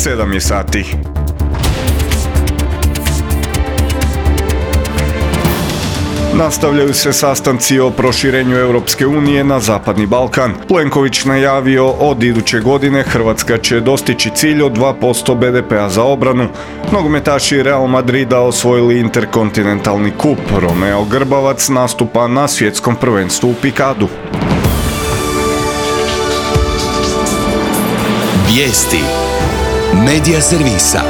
7 je sati. Nastavljaju se sastanci o proširenju Europske unije na Zapadni Balkan. Plenković najavio od iduće godine Hrvatska će dostići cilj od 2% BDP-a za obranu. Nogometaši Real Madrida osvojili interkontinentalni kup. Romeo Grbavac nastupa na svjetskom prvenstvu u pikadu. Vijesti Medija servisa.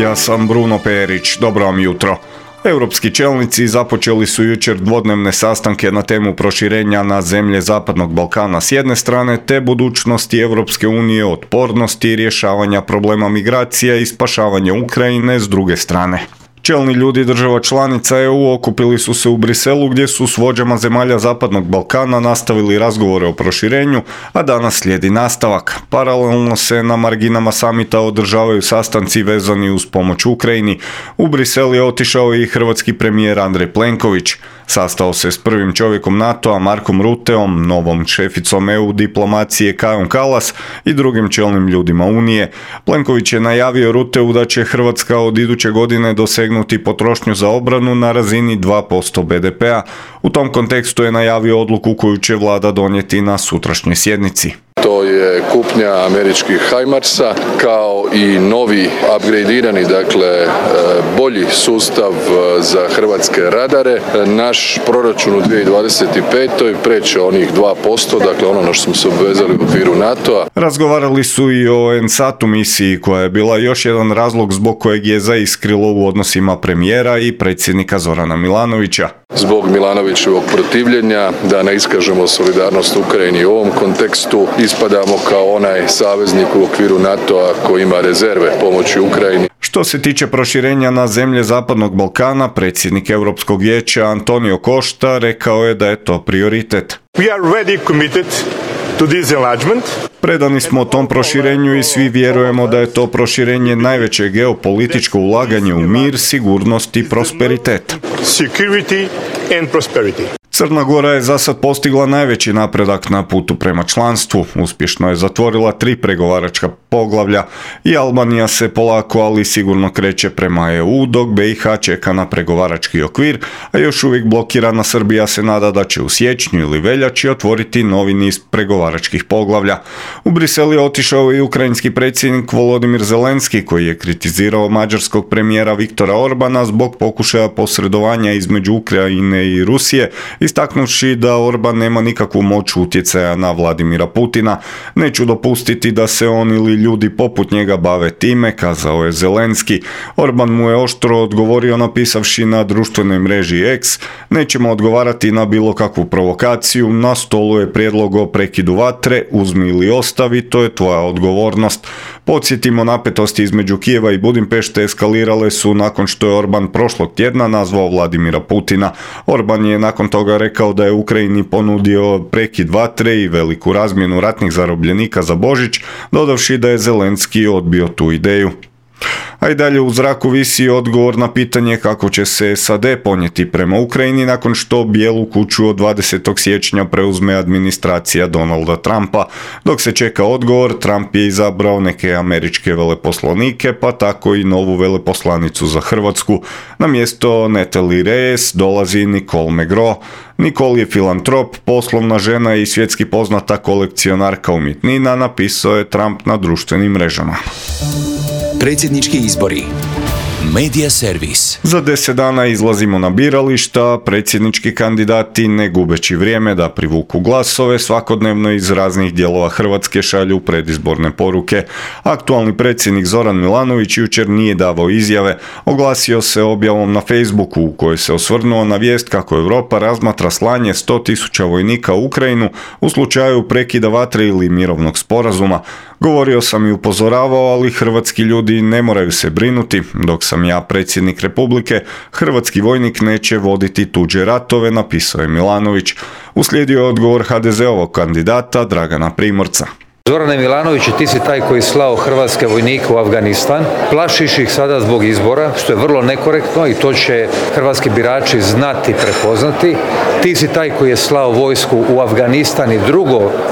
Ja sam Bruno Perić, dobro vam jutro. Europski čelnici započeli su jučer dvodnevne sastanke na temu proširenja na zemlje Zapadnog Balkana s jedne strane, te budućnosti Europske unije, otpornosti i rješavanja problema migracija i spašavanja Ukrajine s druge strane. Čelni ljudi država članica EU okupili su se u Briselu gdje su s vođama zemalja Zapadnog Balkana nastavili razgovore o proširenju, a danas slijedi nastavak. Paralelno se na marginama samita održavaju sastanci vezani uz pomoć Ukrajini. U Brisel je otišao i hrvatski premijer Andrej Plenković. Sastao se s prvim čovjekom NATO-a Markom Ruteom, novom šeficom EU diplomacije Kajom Kallas i drugim čelnim ljudima Unije. Plenković je najavio Ruteu da će Hrvatska od iduće godine dosegnuti potrošnju za obranu na razini 2% BDP-a. U tom kontekstu je najavio odluku koju će vlada donijeti na sutrašnjoj sjednici. To je kupnja američkih HIMARS-a kao i novi upgradirani, dakle bolji sustav za hrvatske radare. Naš proračun u 2025. preće onih 2%, dakle ono na što smo se obvezali u okviru NATO-a. Razgovarali su i o NSAT-u misiji koja je bila još jedan razlog zbog kojeg je zaiskrilo u odnosima premijera i predsjednika Zorana Milanovića. Zbog Milanovićevog protivljenja da ne iskažemo solidarnost Ukrajini u ovom kontekstu, ispadamo kao onaj saveznik u okviru NATO-a koji ima rezerve pomoći Ukrajini. Što se tiče proširenja na zemlje Zapadnog Balkana, predsjednik Europskog vijeća Antonio Costa rekao je da je to prioritet. We are ready committed to this enlargement. Predani smo tom proširenju i svi vjerujemo da je to proširenje najveće geopolitičko ulaganje u mir, sigurnost i prosperitet. Security and prosperity. Crna Gora je za sad postigla najveći napredak na putu prema članstvu. Uspješno je zatvorila 3 pregovaračka poglavlja i Albanija se polako, ali sigurno kreće prema EU, dok BiH čeka na pregovarački okvir, a još uvijek blokirana Srbija se nada da će u siječnju ili veljači otvoriti novi niz pregovaračkih poglavlja. U Brisel je otišao i ukrajinski predsjednik Volodimir Zelenski, koji je kritizirao mađarskog premijera Viktora Orbana zbog pokušaja posredovanja između Ukrajine i Rusije, istaknuvši da Orban nema nikakvu moć utjecaja na Vladimira Putina. Neću dopustiti da se on ili ljudi poput njega bave time, kazao je Zelenski. Orban mu je oštro odgovorio napisavši na društvenoj mreži X: nećemo odgovarati na bilo kakvu provokaciju, na stolu je prijedlog o prekidu vatre, uzmi ili ostavi, to je tvoja odgovornost. Podsjetimo, napetosti između Kijeva i Budimpešte eskalirale su nakon što je Orban prošlog tjedna nazvao Vladimira Putina. Orban je nakon toga rekao da je Ukrajini ponudio prekid vatre i veliku razmjenu ratnih zarobljenika za Božić, dodavši da je Zelenski odbio tu ideju. A i dalje u zraku visi odgovor na pitanje kako će se SAD ponijeti prema Ukrajini nakon što Bijelu kuću od 20. siječnja preuzme administracija Donalda Trumpa. Dok se čeka odgovor, Trump je izabrao neke američke veleposlanike, pa tako i novu veleposlanicu za Hrvatsku. Na mjesto Natalie Reyes dolazi Nicole Megro. Nicole je filantrop, poslovna žena i svjetski poznata kolekcionarka umjetnina, napisao je Trump na društvenim mrežama. Predsjednički izbori. Medija servis. Za 10 dana izlazimo na birališta, predsjednički kandidati, ne gubeći vrijeme da privuku glasove, svakodnevno iz raznih dijelova Hrvatske šalju predizborne poruke. Aktualni predsjednik Zoran Milanović jučer nije davao izjave, oglasio se objavom na Facebooku u kojoj se osvrnuo na vijest kako Europa razmatra slanje 100.000 vojnika u Ukrajinu u slučaju prekida vatre ili mirovnog sporazuma. Govorio sam i upozoravao, ali hrvatski ljudi ne moraju se brinuti. Dok sam ja predsjednik Republike, hrvatski vojnik neće voditi tuđe ratove, napisao je Milanović. Uslijedio je odgovor HDZ-ovog kandidata Dragana Primorca. Zorane Milanoviću, ti si taj koji slao hrvatske vojnike u Afganistan, plašiš ih sada zbog izbora, što je vrlo nekorektno i to će hrvatski birači znati, prepoznati. Ti si taj koji je slao vojsku u Afganistan i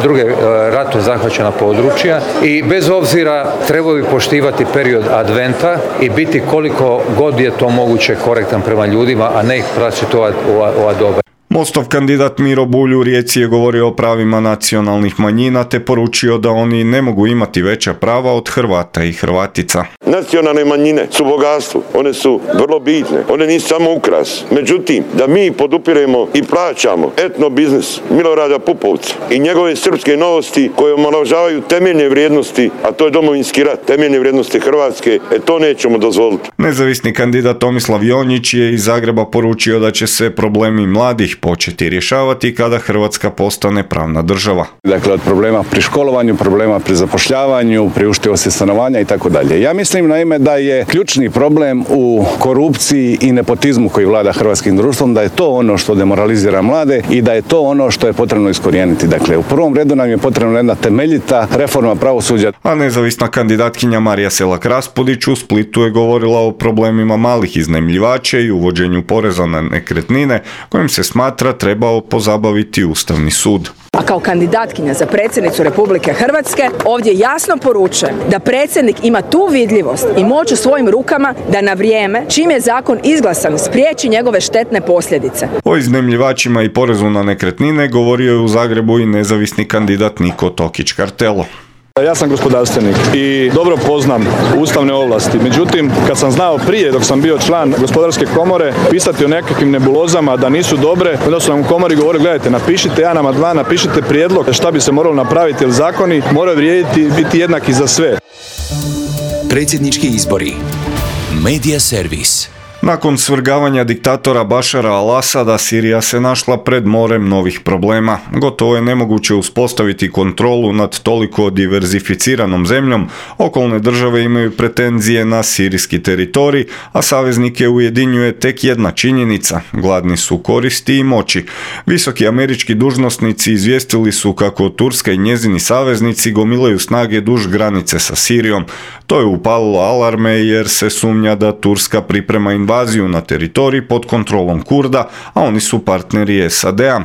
druge ratom zahvaćena područja i bez obzira trebao bi poštivati period adventa i biti koliko god je to moguće korektan prema ljudima, a ne ih praćiti ova doba. Mostov kandidat Miro Bulj u Rijeci je govorio o pravima nacionalnih manjina te poručio da oni ne mogu imati veća prava od Hrvata i Hrvatica. Nacionalne manjine su bogatstvo, one su vrlo bitne, one nisu samo ukras. Međutim, da mi podupiremo i plaćamo etno biznis Milorada Pupovca i njegove srpske novosti koje omalovažavaju temeljne vrijednosti, a to je Domovinski rat, temeljne vrijednosti Hrvatske, to nećemo dozvoliti. Nezavisni kandidat Tomislav Jonjić je iz Zagreba poručio da će se problemi mladih početi rješavati kada Hrvatska postane pravna država. Dakle, od problema pri školovanju, problema pri zapošljavanju, priuštivosti stanovanja i tako dalje. Ja mislim naime da je ključni problem u korupciji i nepotizmu koji vlada hrvatskim društvom, da je to ono što demoralizira mlade i da je to ono što je potrebno iskorijeniti. Dakle, u prvom redu nam je potrebna jedna temeljita reforma pravosuđa. A nezavisna kandidatkinja Marija Selak-Raspudić u Splitu je govorila o problemima malih iznajmljivača i uvođenju poreza na nekretnine kojim se smatra trebao pozabaviti Ustavni sud. A kao kandidatkinja za predsjednicu Republike Hrvatske ovdje jasno poručujem da predsjednik ima tu vidljivost i moć u svojim rukama da na vrijeme, čim je zakon izglasan, spriječi njegove štetne posljedice. O iznajmljivačima i porezu na nekretnine govorio je u Zagrebu i nezavisni kandidat Niko Tokić-Kartelo. Ja sam gospodarstvenik i dobro poznam ustavne ovlasti. Međutim, kad sam znao prije, dok sam bio član gospodarske komore, pisati o nekakvim nebulozama da nisu dobre, onda su nam u komori govorili, gledajte, napišite jedan amandman, napišite prijedlog šta bi se moralo napraviti, jer zakoni moraju vrijediti i biti jednaki za sve. Predsjednički izbori. Media Servis. Nakon svrgavanja diktatora Bašara al-Asada, Sirija se našla pred morem novih problema. Gotovo je nemoguće uspostaviti kontrolu nad toliko diverzificiranom zemljom. Okolne države imaju pretenzije na sirijski teritorij, a saveznike ujedinjuje tek jedna činjenica. Gladni su koristi i moći. Visoki američki dužnosnici izvijestili su kako Turska i njezini saveznici gomilaju snage duž granice sa Sirijom. To je upalilo alarme jer se sumnja da Turska priprema invaziju na teritorij pod kontrolom Kurda, a oni su partneri SAD-a.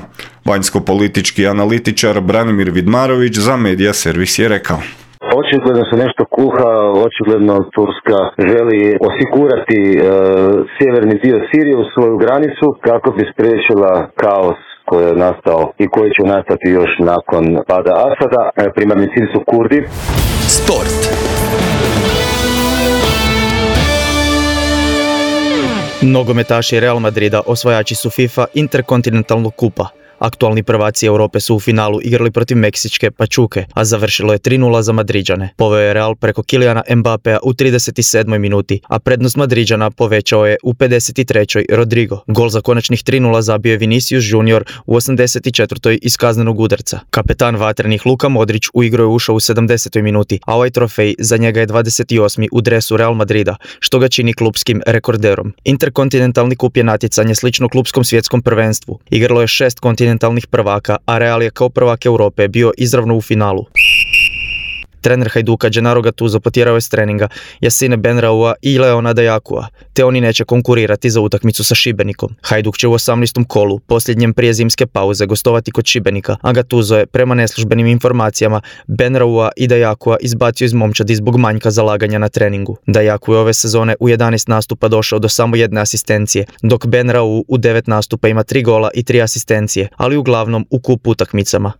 Vanjsko-politički analitičar Branimir Vidmarović za Media Servis je rekao. Očigledno se nešto kuha, očigledno Turska želi osigurati sjeverni dio Sirije u svoju granicu kako bi spriječila kaos koji je nastao i koji će nastati još nakon pada Asada. Primarni cilj su Kurdi. Sport. Nogometaši Real Madrida osvajači su FIFA Interkontinentalnog kupa. Aktualni prvaci Europe su u finalu igrali protiv Meksičke Pachuke, a završilo je 3:0 za Madriđane. Poveo je Real preko Kyliana Mbappea u 37. minuti, a prednost Madriđana povećao je u 53. Rodrigo. Gol za konačnih 3:0 zabio je Vinicius Junior u 84. iz kaznenog udarca. Kapetan vatrenih Luka Modrić u igru je ušao u 70. minuti, a ovaj trofej za njega je 28. u dresu Real Madrida, što ga čini klupskim rekorderom. Interkontinentalni kup je natjecanje slično klupskom svjetskom prvenstvu. Igralo je 6 kontinentalnih prvaka, a Real je kao prvak Europe bio izravno u finalu. Trener Hajduka Gennaro Gattuso potjerao je s treninga Yassine Benraoua i Leona Dajakua, te oni neće konkurirati za utakmicu sa Šibenikom. Hajduk će u 18. kolu, posljednjem prije zimske pauze, gostovati kod Šibenika, a Gattuso je, prema neslužbenim informacijama, Benraoua i Dajakua izbacio iz momčadi zbog manjka zalaganja na treningu. Dajaku je ove sezone u 11 nastupa došao do samo 1 asistencije, dok Benraoua u 9 nastupa ima 3 gola i 3 asistencije, ali uglavnom u kup utakmicama.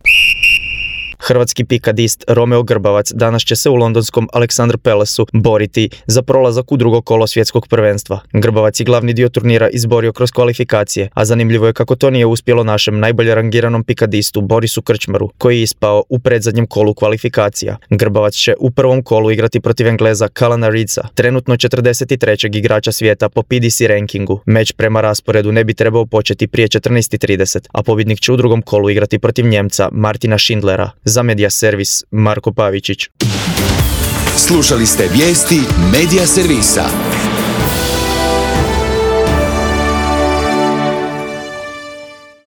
Hrvatski pikadist Romeo Grbavac danas će se u londonskom Alexander Palace-u boriti za prolazak u drugo kolo svjetskog prvenstva. Grbavac je glavni dio turnira izborio kroz kvalifikacije, a zanimljivo je kako to nije uspjelo našem najbolje rangiranom pikadistu Borisu Krčmaru, koji je ispao u predzadnjem kolu kvalifikacija. Grbavac će u prvom kolu igrati protiv Engleza Callana Reedsa, trenutno 43. igrača svijeta po PDC rankingu. Meč prema rasporedu ne bi trebao početi prije 14:30, a pobjednik će u drugom kolu igrati protiv Njemca Martina Schindlera. Za Media Servis, Marko Pavičić. Slušali ste vijesti Media Servisa.